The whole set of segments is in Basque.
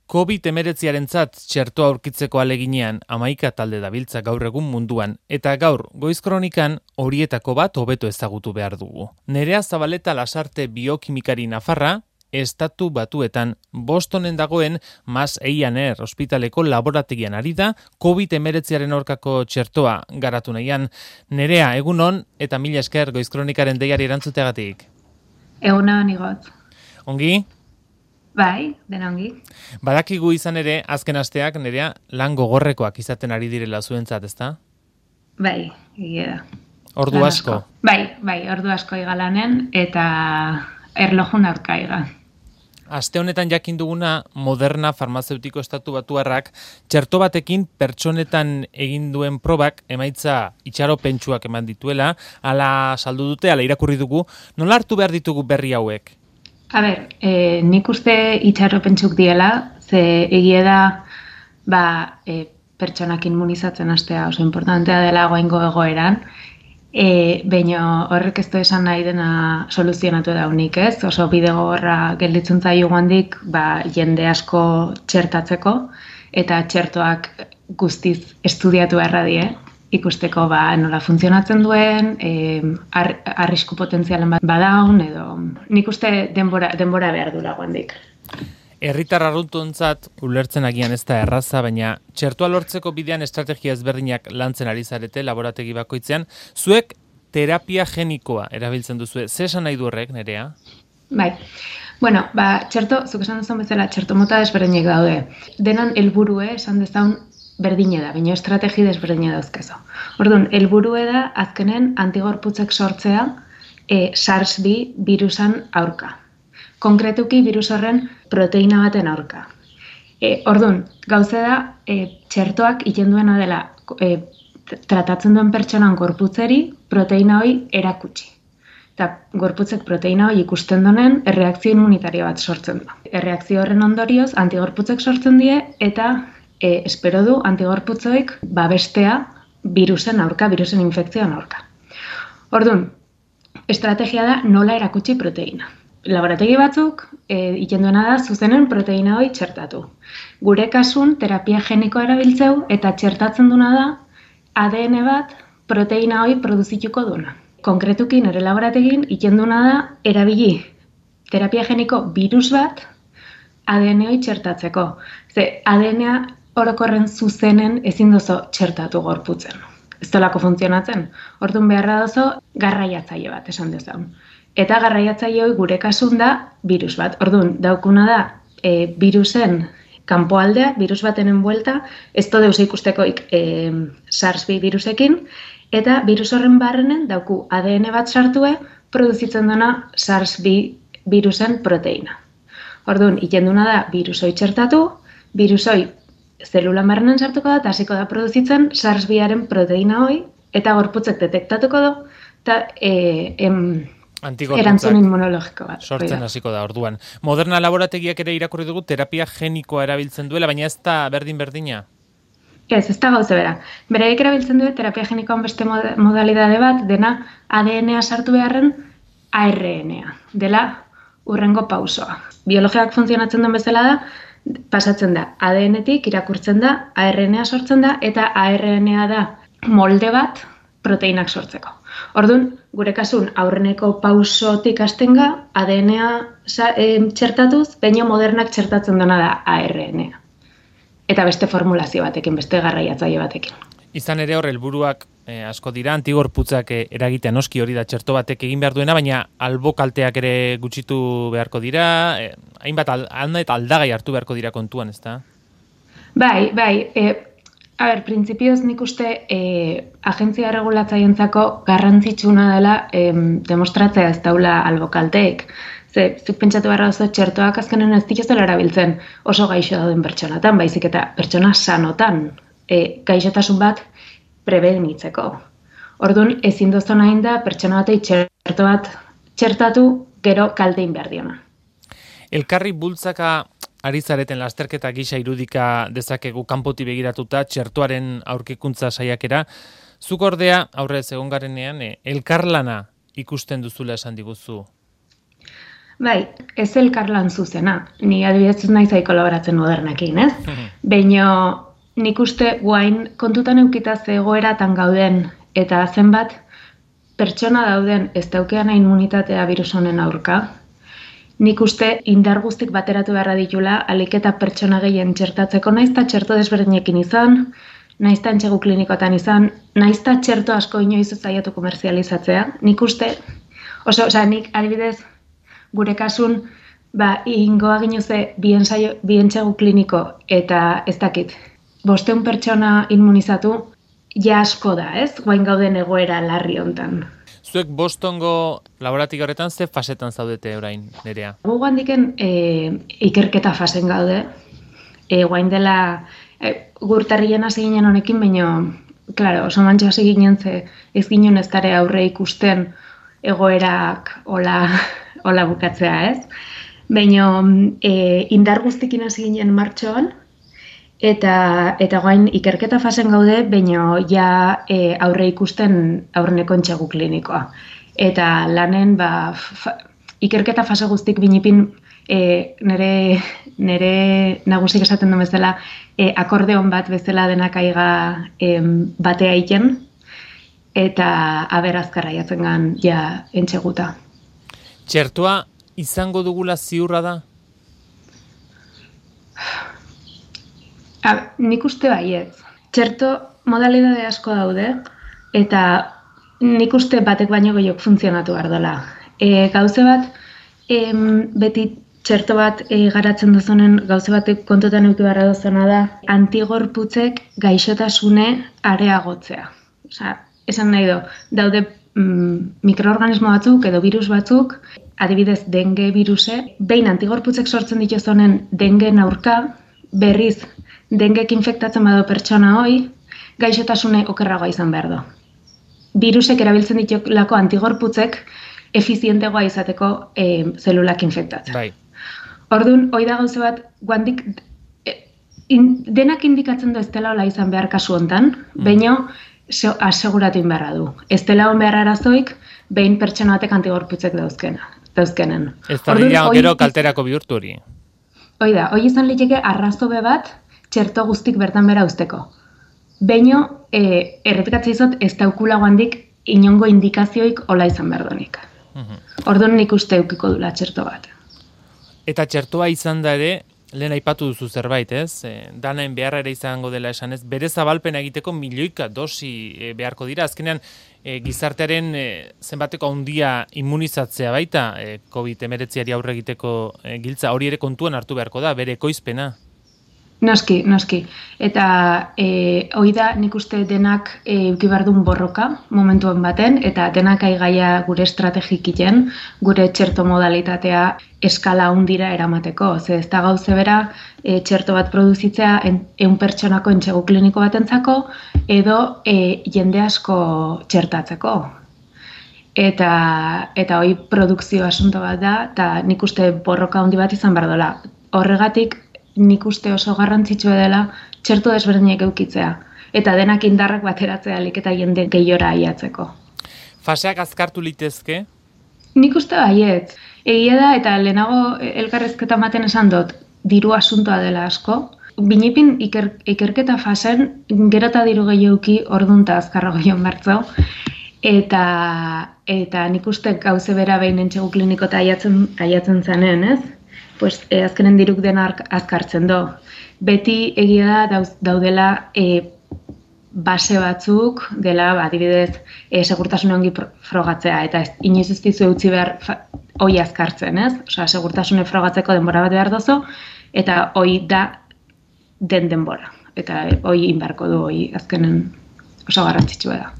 COVID-19 txertoa aurkitzeko aleginean 11 talde dabiltza gaur egun munduan, eta gaur Goiz Kronikan horietako bat hobeto ezagutu behar dugu. Nerea Zabaleta Lasarte biokimikari nafarra, Estatu Batuetan Bostonen dagoen Mass Eye&Ear ospitaleko laborategian ari da COVID-19 aurkako txertoa garatu nahian. Nerea, egunon eta mila esker Goiz Kronikaren deiari erantzuteagatik. Egunon igot. Ongi? Bai, dena ongi. Badakigu izan ere, azken asteak, Nerea, lan gogorrekoak izaten ari direla zuentzat, ezta? Bai, egia da. Ordu asko? Bai, ordu asko igalanen eta erlojun aurka iga. Aste honetan jakin duguna Moderna farmazeutiko Estatu Batuarrak txerto batekin pertsonetan egin duen probak emaitza itxaropentsuak eman dituela, ala saldu dute, ala irakurri dugu. Nola hartu behar ditugu berri hauek? A ber, nik uste itxaropentsuk diela, ze egia da pertsonak immunizatzen hastea oso importantea dela goaingo egoeran, baina horrek ez du esan nahi dena soluzionatu daunik, ez? Oso bide gogorra gelditzen zaio guandik jende asko txertatzeko, eta txertoak guztiz estudiatu beharra die, ikusteko nola funtzionatzen duen, arrisku potentzialen bat badaun, edo nik uste denbora behar dula guandik. Herritar arruntuntzat ulertzen agian ez da erraza, baina txertoa lortzeko bidean estrategia ezberdinak lantzen ari zarete laborategi bakoitzean. Zuek terapia genikoa erabiltzen duzue. Ze esan nahi du horrek, Nerea? Bai. Bueno, txerto, zuk esan duzun bezala, txerto mota desberdinak daude. Denan helburue esan dezaun berdine da, baina estrategi desberdine dauzkezo. Orduan, helburue da azkenen antigorputzek sortzea SARS-2 virusan aurka. Konkretuki virus horren proteina baten aurka. Orduan, gauze da txertoak iten duena dela tratatzen duen pertsonan gorputzeri proteina hori erakutsi. Eta gorputzek proteina hori ikusten donen erreakzio immunitario bat sortzen du. Erreakzio horren ondorioz antigorputzek sortzen die eta espero du antigorputzoik babestea virusen aurka, virusen infekzioan aurka. Orduan, estrategia da nola erakutsi proteina. Laborategi batzuk iten duena da zuzenen proteina hori txertatu. Gure kasun terapia genikoa erabiltzeu eta txertatzen duna da ADN bat proteina hori produzituko duna. Konkretuki nire laborategin iten duena da erabili terapia geniko virus bat ADN hori txertatzeko. Ze ADN-a orokorren zuzenen ezin dozo txertatu gorputzen. Ez dolako funtzionatzen. Orduan beharra dozo garraiatzaile bat esan dezaun. Eta garraiatzaile hori gure kasun da virus bat. Orduan daukuna da virusen kanpoaldea, virus batenen buelta, ez do deus ikustekoik SARS-2 virusekin, eta virus horren barrenen dauku ADN bat sartue produzitzen dena SARS-2 virusen proteina. Orduan, ikenduna da virusoi txertatu, virusoi zelula marrenen sartuko da, eta hasiko da produzitzen SARS-2aren proteina hoi, eta gorputzek detektatuko du, eta erantzun immunologiko bat. Sortzen hasiko da, orduan. Moderna laborategiak ere irakurri dugu terapia genikoa erabiltzen duela, baina ez da berdin-berdina? Ez da gauze bera. Beraiek erabiltzen du terapia genikoan beste modalidade bat, dena ADN-a sartu beharren ARN-a, dela hurrengo pausoa. Biologiak funtzionatzen duen bezala da, pasatzen da ADN-etik, irakurtzen da, ARN-a sortzen da, eta ARN-a da molde bat proteinak sortzeko. Orduan, gure kasun aurreneko pausotik hastenga ADN-a txertatuz, baina Modernak txertatzen dena da ARN-a. Eta beste formulazio batekin, beste garraiatzaile batekin. Izan ere hor helburuak asko dira, antigorputzak eragitea noski hori da txerto batek egin behar duena, baina albo kalteak ere gutxitu beharko dira, hainbat aldagai hartu beharko dira kontuan, ezta? Bai, printzipioz nik uste agentzia regulatzaientzako garrantzitsuna dela demostratzea ez daula albo kalteek. Zuk pentsatu beharra oso txertoak azkenen ez dituzela erabiltzen oso gaixo dauden pertsonatan, baizik eta pertsona sanotan gaixotasun bat prebenitzeko. Orduan, ezin dozona da pertsona batei txerto bat txertatu gero kaltein behar diona. Elkarri bultzaka ari zareten lasterketa gisa irudika dezakegu kanpoti begiratuta txertoaren aurkikuntza saiakera. Zuk ordea aurrez egon garenean elkarlana ikusten duzula esan diguzu. Bai, ez elkarlan zuzena. Ni adibidez ez naiz kolaboratzen modernekin, ez? Baina nik uste guain kontutan eukita zegoeratan gauden eta zenbat pertsona dauden ez daukean immunitatea virus honen aurka. Nik uste indar guztik bateratu beharra ditula alik eta pertsona gehien txertatzeko, naizta txerto desberdinekin izan, naizta entxegu klinikotan izan, naizta txerto asko inoiz zaiatu komerzializatzea. Nik uste, nik adibidez gure kasun, ingoa ginuze bi entxegu kliniko eta ez dakit, 500 pertsona immunizatu, ja asko da, ez? Guain gauden egoera larri hontan. Zuek Bostongo laboratik horretan ze fasetan zaudete orain, Nerea? Gu gandiken ikerketa fasen gaude. Guain dela gurtarrien hasi ginen honekin, baina, klaro, oso mantxo hasi ginen ze ez ginen ez dara aurre ikusten egoerak hola bukatzea, ez? Baina indar guztikin hasi ginen martxoan, eta guain ikerketa fasen gaude, baina ja aurre ikusten aurreneko entxegu klinikoa. Eta lanen, ikerketa fase guztik binipin nire nagusik esaten du bezala akordeon bat bezala denak aiga batea iten, eta aber azkarra jatzen gan ja entxeguta. Txertoa izango dugula ziurra da? Nik uste baietz. Txerto modalidade asko daude, eta nik uste batek baino gehiok funtzionatu behar dela. Gauze bat, beti txerto bat garatzen duzunen, gauze batek kontutan euki beharra duzuna da, antigorputzek gaixotasune areagotzea. Esan nahi daude mikroorganismo batzuk edo virus batzuk, adibidez dengue viruse, behin antigorputzek sortzen dituzunen dengeen aurka, berriz dengek infektatzen badu pertsona hoi, gaixotasune okerragoa izan behar du. Virusek erabiltzen ditulako antigorputzek efizientegoa izateko zelulak infektatzen. Bai. Orduan, hoi da gauze bat, guandik denak indikatzen du ez dela hola izan behar kasu hontan, baina aseguratu inberra du. Ez dela hon behar arazoik, behin pertsona batek antigorputzek dauzkenen. Ez da dira gero kalterako bihurtu hori. Hoi da, hoi izan liteke arrazobe bat txerto guztik bertan bera usteko. Baina, errepikatzea izot, ez daukula guandik inongo indikazioik hola izan behar donik. Orduan nik uste eukiko dula txerto bat. Eta txertoa izan da ere, lehen aipatu duzu zerbait, ez? Danaen beharra ere izango dela esan ez, bere zabalpena egiteko milioika dosi beharko dira. Azkenean, gizartearen zenbateko handia immunizatzea baita, COVID-19 aurre egiteko giltza, hori ere kontuan hartu beharko da, bere ekoizpena. Noski. Eta hoi da nik uste denak euki behar duen borroka momentuen baten, eta denak aigaia gure estrategikiten, gure txerto modalitatea eskala hundira eramateko. Ze ez da gauze bera txerto bat produzitzea 100 pertsonako entxegu kliniko batentzako, edo jende asko txertatzeko. Eta hoi produkzio asunto bat da, eta nik uste borroka handi bat izan behar dola. Horregatik, nik uste oso garrantzitsua dela txerto desberdinak eukitzea. Eta denak indarrak bateratzea alik eta jende gehiora aiatzeko. Faseak azkartu litezke? Nik uste baietz. Egia da, eta lehenago elkarrezketa maten esan dut, diru asuntoa dela asko. Binipin ikerketa fasen gero eta diru gehiuki ordunta azkarrago joan bertzau. Eta nik uste gauze bera behin entxegu kliniko eta aiatzen zanen, ez? Pues azkenen diruk dena azkartzen do. Beti egia da daudela base batzuk, dela adibidez segurtasun ongi frogatzea, eta inoiz ez dizu eutzi behar hoi azkartzen, ez? Segurtasune frogatzeko denbora bat behar dozu, eta hoi da den denbora. Eta hoi inbarko du, hoi azkenen oso garrantzitsua da.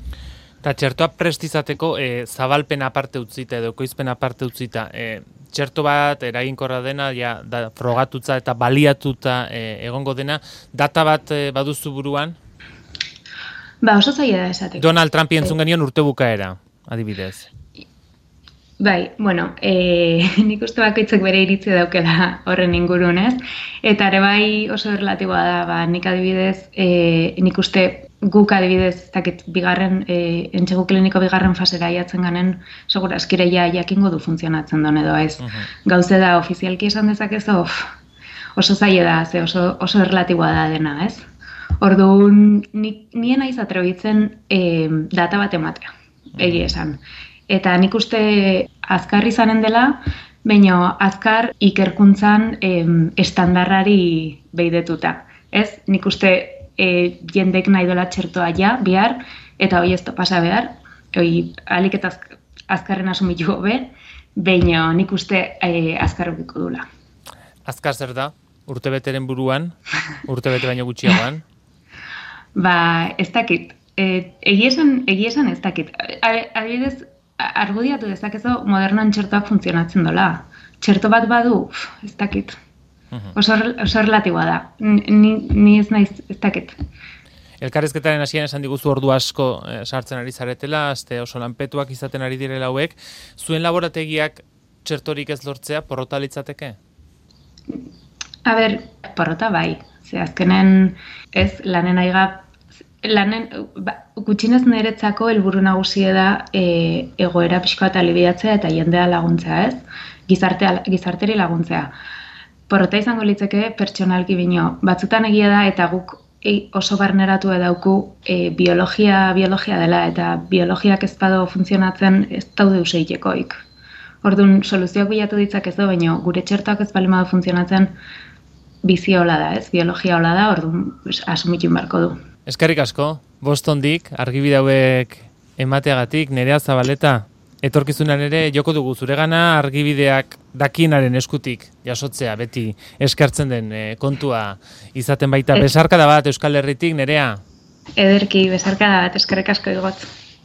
Eta txertoa prestizateko zabalpen aparte utzita edo ekoizpen aparte utzita, txerto bat eraginkorra dena, frogatutza eta baliatuta egongo dena, data bat baduzu buruan? Oso zaila da esateko. Donald Trumpi entzun genion urte bukaera, adibidez. Bai, nik uste bakoitzak bere iritzi daukela horren ingurun, ez? Eta ere bai oso relatiboa da, nik adibidez, nik uste guk adibidez, ez dakit, bigarren, entsegu kliniko bigarren fasera jatzen ganen, segura askireia jakingo du funtzionatzen duen edo ez. Gauze da, ofizialki esan dezakezu, oso zaila da, ze oso erlatiboa da dena, ez? Orduan, nien naiz atrebitzen data bat ematea, egia esan. Eta nik uste azkar izanen dela, baina azkar ikerkuntzan estandarrari behidetuta. Ez, nik uste jendek nahi dola txertoa bihar, eta hoi ez pasa behar, hoi alik eta azkarren asumitu gobe, baina nik uste azkar ukiko dula. Azkar zer da? Urtebeteren buruan? Urtebete baino gutxiagoan? Ez dakit. Egia esan ez dakit. Adibidez, argudiatu dezakezu modernoan txertoak funtzionatzen dola. Txerto bat badu, ez dakit. Oso relatiboa da. Ni ez naiz, ez dakit. Elkarrizketaren hasieran esan diguzu ordu asko sartzen ari zaretela, oso lanpetuak izaten ari direla hauek. Zuen laborategiak txertorik ez lortzea porrota litzateke? A ber, porrota bai. Ze azkenen ez lanen aiga gutxinez niretzako helburu nagusia da egoera pixka bat alibiatzea eta jendea laguntzea, ez? Gizarteri laguntzea. Porrota izango litzeke pertsonalki bino. Batzutan egia da eta guk oso barneratu edauku biologia dela eta biologiak ez bado funtzionatzen ez daude useitekoik. Orduan, soluzioak bilatu ditzakezu, baina gure txertoak ez bali badu funtzionatzen bizia hola da, ez? Biologia hola da, orduan asumitu barko du. Eskerrik asko, Bostondik, argibide hauek emateagatik, Nerea Zabaleta, etorkizunan ere joko dugu zuregana argibideak dakienaren eskutik jasotzea beti eskertzen den kontua izaten baita. Besarkada bat Euskal Herritik, Nerea? Ederki, besarkada bat, eskerrik asko igotz.